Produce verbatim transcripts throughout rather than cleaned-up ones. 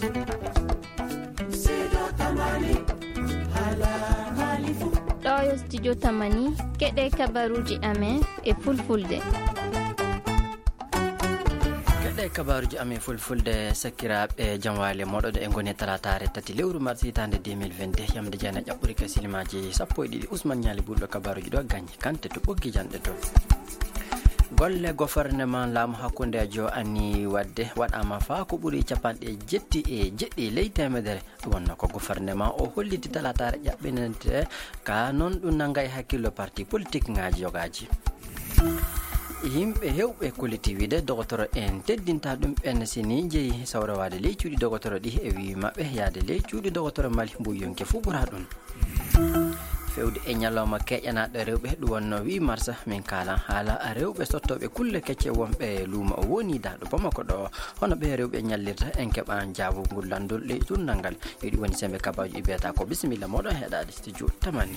Ɗo yo studio Tamani, keɗe kabaruuji amen e fulfulde. Keɗe kabaruuji amen fulfulde, sakiraaɓe, jam waali moɗon. E ngoni talaataare tati lewru mars hitaande deux mille vingt-deux, yamde jeenayi ƴaɓɓuri ka silimaaji sappo e ɗiɗi. Ousmane Ñaali Bulɗo kabaruuji ɗo, Gagne Kanté to ɓoggi janɗe to. Golle goforneman laamu hakkundeejo anni waɗde waɗaama faa ko ɓuri capanɗe jetti e jeɗɗi ley teemedere. Ɗum wonno ko goforneman o holliti talaataare ƴaɓɓinante ka, noon ɗum nannga e hakkillo parti politik ŋaaji yogaaji. Yimɓe heewɓe kolliti wiide dogotoro en teddinta ɗum ɓen si ni jeyi sawrowaade ley cuuɗi dogotoro ɗi, e wii maɓɓe yaade ley cuuɗi dogotoro Mali mbuy yonki fuu ɓura ɗum. Fewde e ñalawma keƴanaaɗo rewɓe, ɗum wonno wii mars, min kaalan haala rewɓe sottooɓe kulle kecce wonɓe luumo o woni daaɗo Bamako ɗo. Hono ɓe rewɓe ñallirta, en keɓan jaabugol lanndol ley turnal ngal. Yo ɗi woni sembe kabaaji ɗi mbiyata ko bisimilla moɗon heɗaade studio Tamani.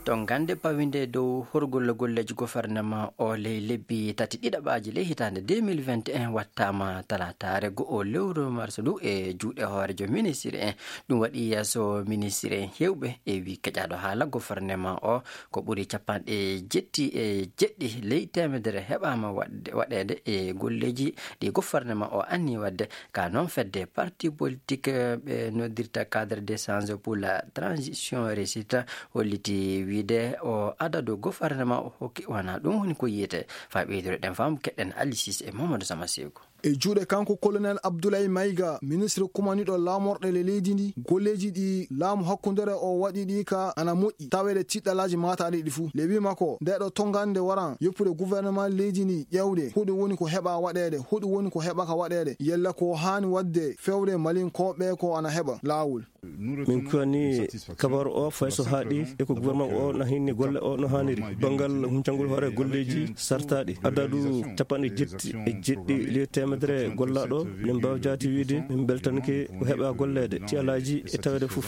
To gannde pawinde dow horgol golleeji goforneman o ley lebbi tati ɗiɗaɓaaji ley hitaande deux mille vingt et un wattaama talaataare go'o lewru mars ndu e juuɗe hooreejo ministre en. Ɗum waɗi yeeso ministre en heewɓe e wii keƴaaɗo haala goforneman o ko ɓuri capanɗe jetti e jeɗɗi ley teemedere heɓaama waɗde, waɗeede e golleeji ɗi goforneman o anni waɗde. Ka noon fedde parti politique ɓe noddirta Cadre d'échange pour la transition réussite holliti wiide o adadu goforneman o hokki wona ɗum woni ko yiyete. Faa ɓeydude ɗen faamu keɗen Alisis e Mamadou Sama Sego. E juuɗe kanko Colonel Abdoulaye Maïga, ministre kumaniɗo laamorɗe le leydi ndi, golleeji ɗi laamu hakkundere o waɗi ɗi ka ana moƴƴi, taweede tiɗɗalaaji maataaɗi ɗi fuu. Le wii makko, nde ɗo tongande waran yoppude gouvernement leydi ndi ƴeewde, hoɗum woni ko heɓa waɗeede, hoɗum woni ko heɓaka waɗeede, yalla ko haani waɗde fewde Malinkooɓe ko ana heɓa laawol. Min kuwani kabaru o fay so haaɗi e ko gouvernement o na hinni golle o no haaniri. Banngal huncangol hoore golleeji sartaaɗi, adadu capanɗe jetti e jeɗɗi ley teemedere gollaaɗo, min mbaawi jaati wiide min mbeltanke ko heɓa golleede, tiyalaaji e taweede fof.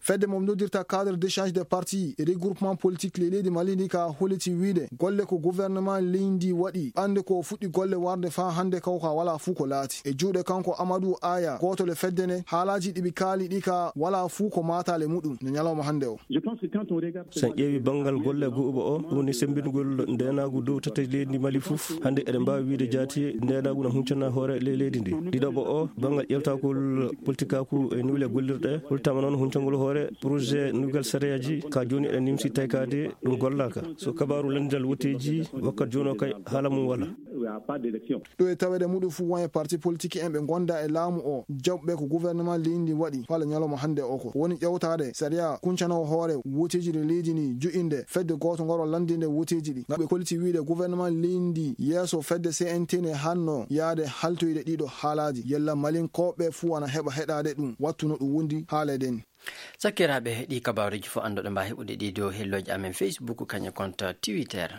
Fedde mo noddirta Cadre d'échange des partis et regroupement politique ley leydi Mali ndi ka holliti wiide golle ko gouvernement leydi ndi waɗi, ɓannde ko fuɗɗi golle warde faa hannde kaw ka walaa fuu ko laati. E juuɗe kanko Amadou Aya, gooto le fedde nde, haalaaji ɗi ɓe kaali ɗi ka walaa fuu ko maataale muɗum no ñalawma hannde o. Sen ƴeewi banngal golle go'uɓe o, ɗum woni semmbingol ndeenaagu dow tati leydi Mali fof. Hannde eɗen mbaawi wiide jaati ndeenaagu no huncana hoore ley leydi ndi. Ɗiɗaɓo o, banngal ƴeewtagol politikaaku e nuule gollirɗe, hultama noon huncangol hoore projet nuggal sariyaaji ka jooni eɗen nimsi taykaade ɗum gollaaka. So kabaaru lanndal woteeji wakkat jooni o kay haala mum wala. Ɗo e taweede muɗum fuu won e parti politique en ɓe gonda e laamu o, jaɓɓe ko gouvernement leydi ndi waɗi fala ñalawma hannde o ko woni ƴeewtaade sariya kuncanowo hoore woteeji ɗi leydi ndi jo'inde fedde gooto ngoro lanndinde woteeji ɗi. Ngam ɓe kolliti wiide gouvernement leydi ndi yeeso fedde C N T ne hanno yaade haltoyde ɗiɗo haalaaji. Yalla Malinkooɓe fuu ana heɓa heɗaade ɗum wattu no ɗum wondi haaleede ni. Sakiraaɓe, ɗi kabaaruuji fof annduɗo mbaa heɓude ɗi dow hellooji amen Facebook, kañum e compte Twitter.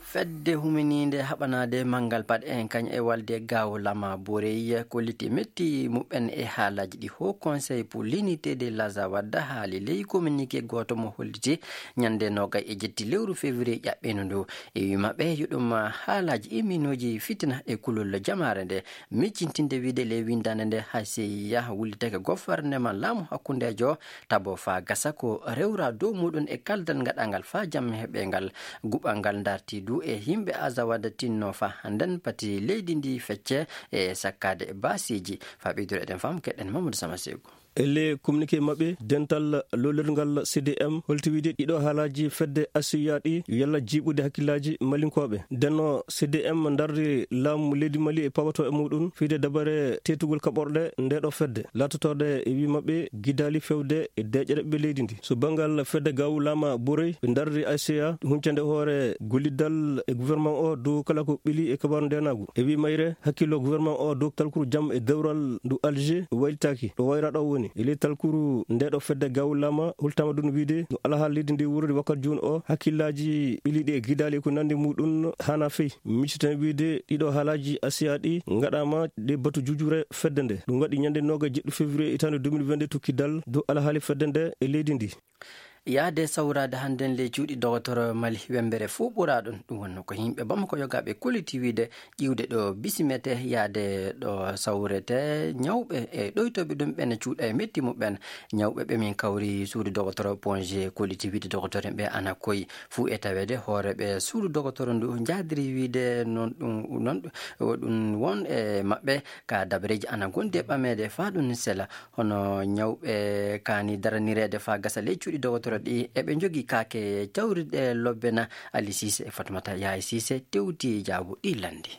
Fedde huminiinde haɓanaade manngal paɗe en kañ e walde Gaawo Lama Borey kolliti metti muɓɓen e haalaaji ɗi Haut Conseil pour l'unité de l'Azawad haali ley communiqué gooto mo holliti ñande noogay e jetti lewru février ƴaɓɓeendu ndu. E wii maɓɓe yo ɗum haalaaji imminooji fitina e kulol jamaare nde. Miccintinde wiide ley winndaande nde, H C I A wullitake goforneman laamu hakkundeejo tabo faa gasa ko rewra dow muɗum e kaldal ngaɗangal faa jam heɓe ngal. Guɓal ngal darti du e yimɓe Azawad tinno faa hannden pati leydi ndi fecce e sakkaade baasiiji. Faa ɓeydude eɗen faamu keɗen Mamadou Sama Sego. E le communiqué maɓɓe, dental lollirgal C D M holti wiide ɗiɗo haalaaji fedde H C I A ɗi yo yalla jiiɓude hakkillaaji Malinkooɓe. Ndenno C D M darri laamu leydi Mali e pawato e muɗum fiide dabare teetugol kaɓorɗe nde ɗo fedde, laatotooɗe e wii maɓɓe gidaali fewde e deeƴere ɓe leydi ndi. So banngal fedde Gaawo Lama Borey, ɓe darri H C I A huncande hoore golliddal e gouvernement o dow kala ko ɓili e kabaaru ndeenaagu. E wii mayre, hakkillo gouvernement o dow talkuru jam e dewral ndu Alger waylitaaki ɗo wayra ɗo woni. E ley talkuru nde ɗo fedde Gaawo Lama hultama ɗum wiide no alhaali leydi ndi wuurdi wakkat jooni o, hakkillaaji ɓiliiɗi e gidaali e ko nanndi muɗum haana fey. Micciten wiide ɗiɗo haalaaji H C I A ɗi ngaɗaama ɗe batu jujure fedde nde. Ɗum waɗi ñande nooga jeɗɗi février hitaande deux mille vingt-deux to kiddal dow alhaali fedde nde e leydi ndi. Yaade sawraade hannden ley cuuɗi dogotoro Mali wembere fuu ɓuraa ɗum. Ɗum wonno ko yimɓe Bamako yogaaɓe kolliti wiide ƴiwde ɗo bisimete yaade ɗo sawrete ñawɓe e ɗoytooɓe ɗum ɓen cuuɗa e metti muɓɓen. Ñawɓe ɓe min kawri suudu dogotoro Ponje kolliti wiide dogotoro ɓe ana koyi fuu e taweede hooreeɓe suudu dogotoro ndu njaadiri wiide noon ɗum, noon ɗum won e maɓɓe ka dabareeji ana gondi e ɓameede faa ɗum sela. Hono ñawɓe kaani daranireede faa gasa ley cuuɗi dogotoro ɗi, eɓe njogii kaake cawrirɗe lobbe na. Ali Siise e Fatmata Yaay Siise tewti jaabo ɗi lanndi.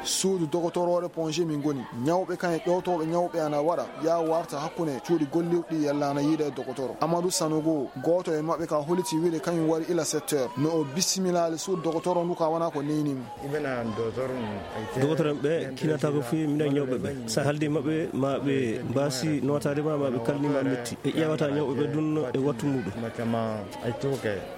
Suudu dogotoroore Ponje min ngoni. Ñawɓe kan e ɗowtooɓe ñawɓe ana waɗa yaa warta hakkunde cuuɗi gollirɗi yellaana yiide e dogotoro. Amadou Sanogo, gooto e maɓɓe ka holiti wiide kañum wari ila sept heures. No o bisimilaali suudu dogotoro ndu ka wona ko neyni mo. Dogotoro en ɓe kinataako fii minen ñawɓe ɓe. So a haaldi maɓɓe, ma ɓe mbaasi nootaade ma, ma ɓe kalni ma metti. Ɓe ƴeewata ñawɓe ɓe ɗum e wattu muɗum.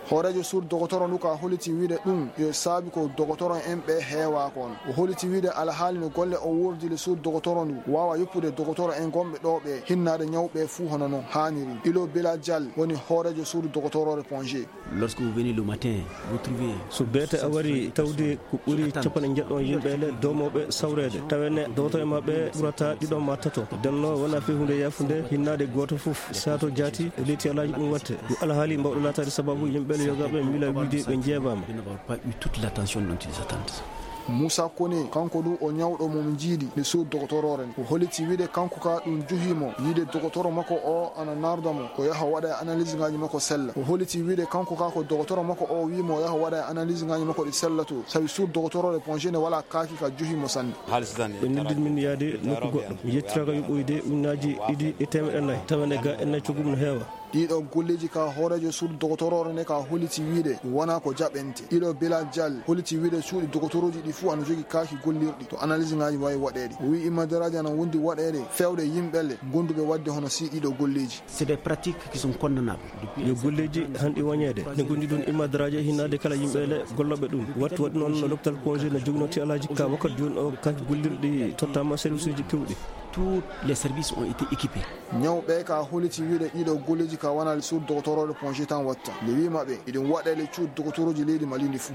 Hooreejo suudu dogotoro ndu ka holiti wiide ɗum yo saabi ko dogotoro en ɓe heewaako on. O holiti wiide alhaali no golle o wurdili suudu dogotoro ndu waawa yoppude dogotoro en gonɓe ɗo ɓe hinnaade ñawɓe fuu hono no haaniri. Ilo Bela Dial woni hooreejo suudu dogotoroore Ponje. Lorsque vous venez le matin, vous trouvez So beete a wari tawde ko ɓuri capanɗe njeɗɗo yimɓe le doomooɓe sawreede, tawene dogotoro e maɓɓe ɓurata ɗiɗo ma tato. Denno wona fii huunde yaafunde, hinnaade gooto fof, sato jaati, e leydi alaaji ɗum watte. Ɗum alhaali mbawɗo laataade sababu yimɓe le yogaaɓe miila wiide ɓe njeebaama. Ils n'auront pas eu toute l'attention dont ils attendent. Moussa Koné, kanko du o ñawɗo mo min njiidi nde suudu dogotoroore nde. O holiti wiide kanko ka ɗum juhi mo yiide dogotoro makko o ana narda mo o yaha waɗa e analyse ngaji makko sella. O holiti wiide kanko ka ko dogotoro makko o wi mo o yaha waɗa e analyse ngaji makko ɗi sella to, sabi suudu dogotoroore Ponje nde wala kaaki ka juhi mo sanne. Ɓe neldi min yaade nokku goɗɗo. Mi yettiraaka yoɓoyde ujunnaaji ɗiɗi e teemeɗɗe nayi. Tawa ne ga en nayi coggu mum no heewa. Ɗiɗo golleeji ka hooreejo suudu dogotoroore nde ka holiti wiide ɗum wona ko jaɓente. Ɗiɗo Bilal Dial holiti wiide cuuɗi dogotoroji ɗi fuu ana jogi kaaki gollirɗi to analyse ngaji wawi waɗeede. O wi immanderaji ana wondi waɗeede fewde yimɓe le gonduɓe waɗde hono si ɗiɗo golleeji. C'est des pratiques qui sont condamnables. Yo golleeji hanɗi wañeede. Ne gondi ɗum immanderaji e hinnaade kala yimɓe le gollooɓe ɗum. Wattu waɗi noon no l'hôpital Ponje no jogino ti alaaji ka wakkati jooni o kaaki gollirɗi tottama service uji kewɗi. Tous les services ont été équipés. Ñawɓe ka holiti wiide ɗiɗo golleeji ka wonali suudu dogotoroore Ponje tan watta. Nde wi maɓɓe iɗum waɗe le cuuɗi dogotoroji leydi Mali ndi fuu.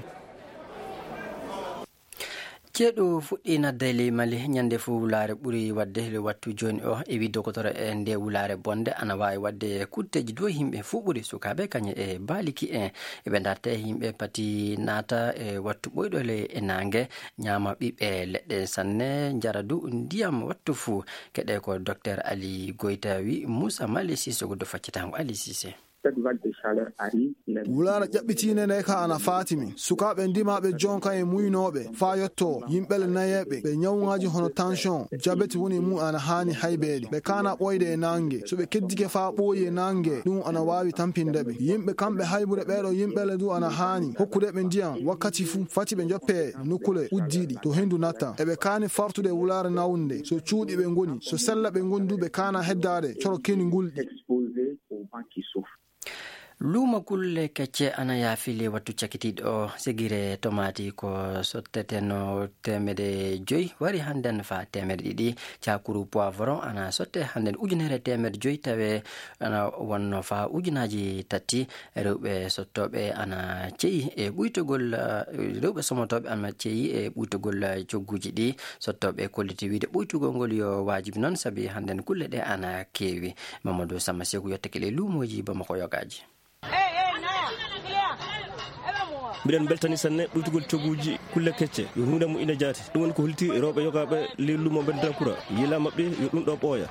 Ceeɗu fuɗɗii nadde ley Mali ñande fuu wulaare ɓuri waɗde le wattu jooni o e wi dogotoro e nde wulaare bonde ana waawi waɗde kutteeji dow yimɓe fuu ɓuri sukaaɓe kañe e baaliki en. Eɓe darta e yimɓe pati naata e wattu ɓoyɗo le e naange ñaama ɓiɓɓe leɗɗe sanne njara du ndiyam wattu fuu. Keɗe ko Docteur Ali Goyta wi Moussa Mali Sissoko do faccatango Ali Sise. Cette vague de chaleur arrive. Wulaare ƴaɓɓitiinde nde ka ana faati min. Sukaaɓe ndimaaɓe jon kan e muynooɓe faa yotto yimɓe le nayeeɓe ɓe ñawŋaaji hono tension, jabeti woni mum ana haani haybeede. Ɓe kaana ɓooyde e naange. So ɓe keddike faa ɓooyi e naange, ɗum ana waawi tampinde ɓe. Yimɓe kamɓe haybude ɓeeɗo yimɓe le du ana haani hokkude ɓe ndiyam wakkati fuu. Fati ɓe njoppee nokkule uddiiɗi to henndu natta. Eɓe kaani fartude wulaare nawnde. So cuuɗi ɓe ngoni, so sella ɓe ngoni du ɓe kaana heddaade coro keni ngulɗi. Luumo kulle kecce ana yaafi ley wattu cakitiiɗo o. Segire tomaati ko sotteteno teemedde joyi wari hannden faa teemedde ɗiɗi. Cakuru poivron ana sotte hannden ujunere teemedde joyi tawe ana wonno faa ujunaaji tati. Rewɓe sottooɓe ana ceyi e ɓuytogol, rewɓe somotooɓe ana ceyi e ɓuytogol cogguuji ɗi. Sottooɓe kolliti wiide ɓuytugol ngol yo waajibi noon sabi hannden kulle ɗe ana keewi. Mamadou Sama Seeku yottake ley luumooji Bamako yogaaji. Mbiɗen mbeltani sanne ɓuytugol cogguuji kulle kecce yo huunde mo ina jaati. Ɗum woni ko holti rewɓe yogaaɓe ley luumo Mbendirankura. Yila maɓɓe yo ɗum ɗo ɓooya.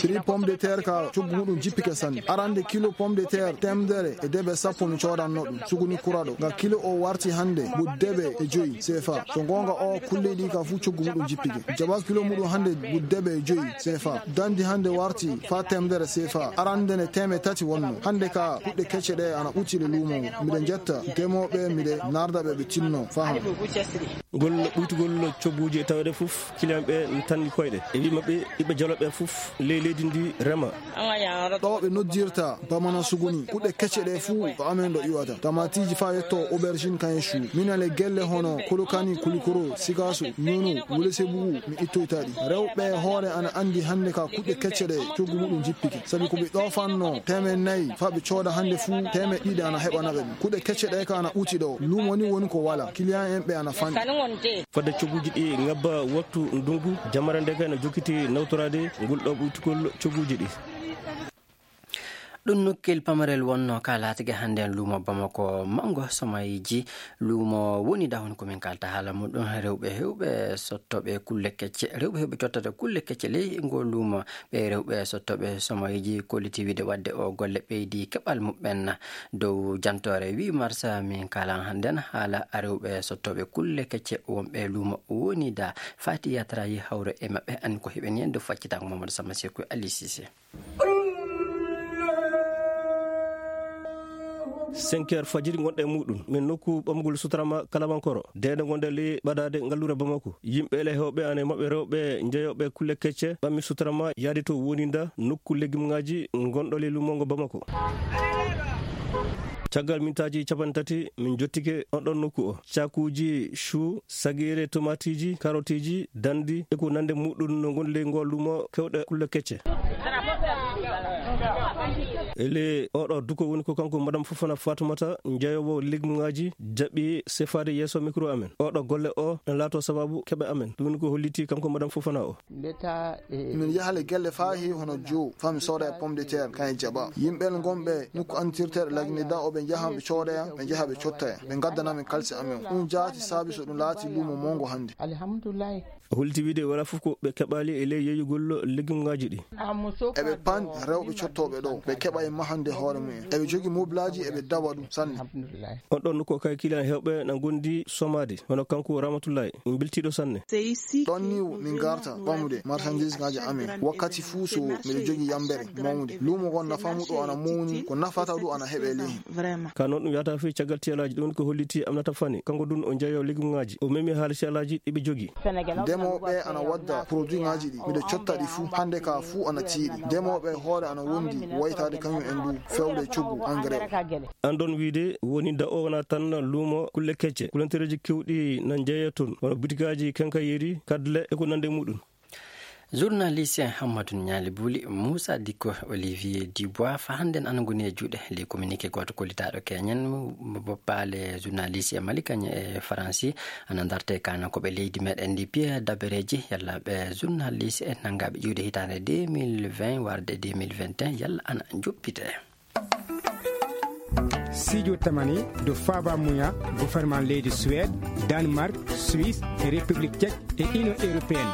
Prix pomme de terre ka coggu muɗum jippike sanne. Arande kilo pomme de terre temedere e debe sappo mi coodanno ɗum suguni kuraɗo. Nga kilo o warti hannde mbuɗ debe e joyi C F A. So goonga o kulle ɗi ka fuu coggu muɗum jippike. Jaba kilo muɗum hannde mbuɗ debe e joyi C F A. Dandi hannde warti faa temedere C F A. Arande ne teeme tati wonno. Hannde ka kuɗɗe kecce ɗe ana ɓuttire luumo ngo. Miɗen jetta demoo Ɓe miɗe narda ɓe, ɓe tinno faa han. Ngol ɓuytugol cogguuji e taweede fof, kiliyan ɓe n tanni koyɗe. E wii maɓɓe, ɓiɓɓe Jolof ɓe fof ley leydi ndi rema. Ɗo ɓe noddirta Bamana Suguni, kuɗe kecce ɗe fuu ko amen ɗo iwata. Tamatiiji faa yetto aubergine kayen chou. Minen le gelle hono Kolokani, Kulikoro, Sikaso, Nono, Wule Sebugu, mi ittoyta ɗi. Rewɓe hoore ana anndi hannde ka kuɗe kecce ɗe coggu muɗum jippike. Sabi ko ɓe ɗoofanno teemeɗɗe nayi faa ɓe cooda hannde fuu teemeɗɗe ɗiɗi ana heɓana ɓe ɗum. Kuɗe kecce ɗe ka ana ɓuti ɗo. Luumo ni woni ko wala. Kiliyan en ɓe ana fanɗi. Fodde cogguuji ɗi ngabba waktu ndunngu, jamara nde kay no jokkiti nawtoraade ngol ɗo ɓuytugol cogguuji ɗi. Ɗum nokkel pamarel wonno ka laatike hannde en luumo Bamako, manngo somayiji luumo woni dahon ko min kalta haala muɗum. Rewɓe hewɓe sottooɓe kulle kecce, rewɓe hewɓe cottata kulle kecce ley ngol luumo. Ɓe rewɓe sottooɓe somayiji kolliti wiide wadde o golle ɓeydi keɓal muɓɓen dow jantoore. Wi Marsa min kalan hannden haala rewɓe sottooɓe kulle kecce wonɓe luumo woni da Fati Yatra yi hawre e maɓɓe an ko heɓeni en dow faccitango Mamadou Sama Sekou Ali Cissé. Cinq heures fajiri ngonɗe muɗum min nokku ɓamgol sutarama kalabankoro deede ngonde ley ɓadaade ngallure Bamako. Yimɓe le hewɓe ane maɓɓe rewɓe njeyoɓe kulle kecce ɓammi sutarama yaadi to woninda nokku legimŋaaji ngonɗo ley lumongo Bamako. Caggal mintaaji capanɗe tati min jottike on ɗon nokku o. Cakuuji chou, sagiire, tomaatiiji, karotiji, dandi e ko nande muɗum no ngoni ley ngol lumo kewɗe kulle kecce. Ele oɗo duko woni ko kanko Madame Fofana Fatoumata, njeyowo legimŋaaji, jaɓi sefaade yeeso mikro amen. Oɗo golle o na laato sababu keɓe amen. Ɗum woni ko holliti kanko Madame Fofana o. Min yaha le gelle faa heewi hono joo, faa mi sooda e pomme de terre, kan e jaɓa. Yimɓe le ngonɓe nokku antirteeɗo Lagineda o, ɓe njahan ɓe coodoya, ɓe njaha ɓe cottaya. Ɓe ngaddana min kalse amen. Ɗum jaati saabi so ɗum laati luumo mawngo hannde. Alhamdulillahi. O holliti wiide wala fof ko ɓe keɓaali e ley yeeyugol legimŋaaji ɗi. Eɓe pan rewɓe cottooɓe ɗo, ɓe keɓa e mahande hoore mumen. Eɓe jogi moblaaji, eɓe dawa ɗum sanne. On ɗon nokku o kay kiliyan hewɓe na ngondi somaade, hono kanko Ramatullahi, mbeltiiɗo sanne. Ɗon ni min ngarta ɓamude marchandise ŋaaji amen. Wakkati fuu so miɗo jogi yambere mawnde. Luumo ngon nafa mu ɗo ana mawni, ko nafata ɗo ana heɓe ley hen. Ka noon ɗum yahata fii caggal tiyalaaji, ɗum woni ko holliti Aminata Fani. Kanko dun o jeeyo legimŋaaji. O memi haala tiyalaaji ɗi ɓe jogi. Ndemooɓe ana wadda produitŋaaji ɗi. Miɗo cotta ɗi fuu. Hannde ka fuu ana tiiɗi. Ndemooɓe hoore ana wondi waytaade kañum en du fewde coggu engrais o. An ɗon wiide woni da o wona tan luumo kulle kecce. Kulantereeji kewɗi na jeeya toon. Wano butikaaji, kenkayeeri, kadle e ko nande muɗum. Journaliste Hammadou Nialy Bouli, Moussa Dicko, Olivier Dubois, fa hannden ana ngoni e juuɗe. Ley communiqué gooto kollitaaɗo keñen, boppaale journaliste e Mali kañe e Faransi, ana ndarte kana ko ɓe leydi meɗen ndi piye dabereeji, yalla ɓe journaliste e nangaaɓe ƴiwde hitaande deux mille vingt warde deux mille vingt et un, yalla ana joppite. Sijo tamani do faba muya gouvernement leydi Suède, Danemark, Suisse e République Tchèque e Union Européenne.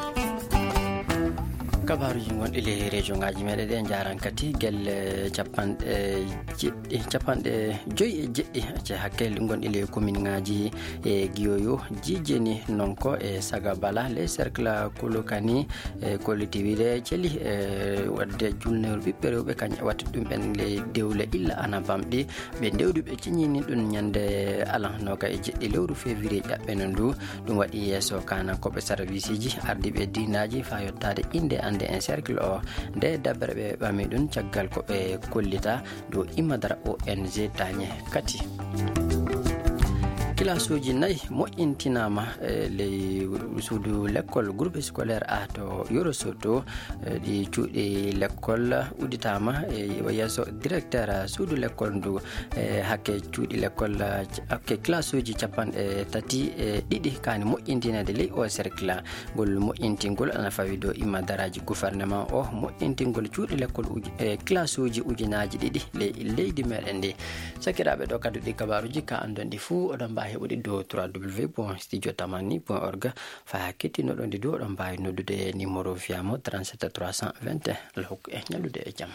Kabaruji ngonɗi ley région ngaji meɗen ɗe jaran kadi gelle capanɗe jeɗɗi, capanɗe joyi e jeɗɗi ce hakke ngonɗi ley commune ngaji e Giyoyo, Jijeni, Nonko e Sagabala, ley cercle Kulukani, e kolliti wiide celi e wadde julnewol ɓiɓɓe rewɓe kañum e watta ɗum ɓen le dewle illa ana bamɗi. Ɓe ndewdu ɓe ciñini ɗum ñande alan noka e jeɗɗi lewru février ƴaɓɓeno ndu. Ɗum waɗi yeeso kana koɓe serviceji ardiɓe diinaji fa yottade inde ande en cercle o. Nde dabbere ɓe ɓami ɗum caggal ko ɓe kollita dow imadara O N G tañe kati. Kilasuuji nayi moƴƴintinama e ley suudu lekkol groupe scolaire A to Yoro Soto. E ɗi cuuɗi lekkol udditama e yeeso directeur suudu lekkol ndu. E hakke cuuɗi lekkol, hakke kilasuuji capanɗe tati e ɗiɗi kani moƴƴintinede ley o cercle. Ngol moƴƴintingol ana fawi dow imadaraji gouvernement o, moƴƴintingol cuuɗi lekkol uji-, e kilasuuji ujunaaji ɗiɗi ley leydi meɗen ndi. Sakiraaɓe, ɗo kadduɗi kabaruji ka andon ɗi fuu, oɗon mbaawi heɓude dow trois W point studio tamani point org. Fa kettinoɗon ɗi dow, oɗon mbaawi noddude e numéro fiyamo trente-sept trois cent vingt et un. Allah hokku en ñallude e jam.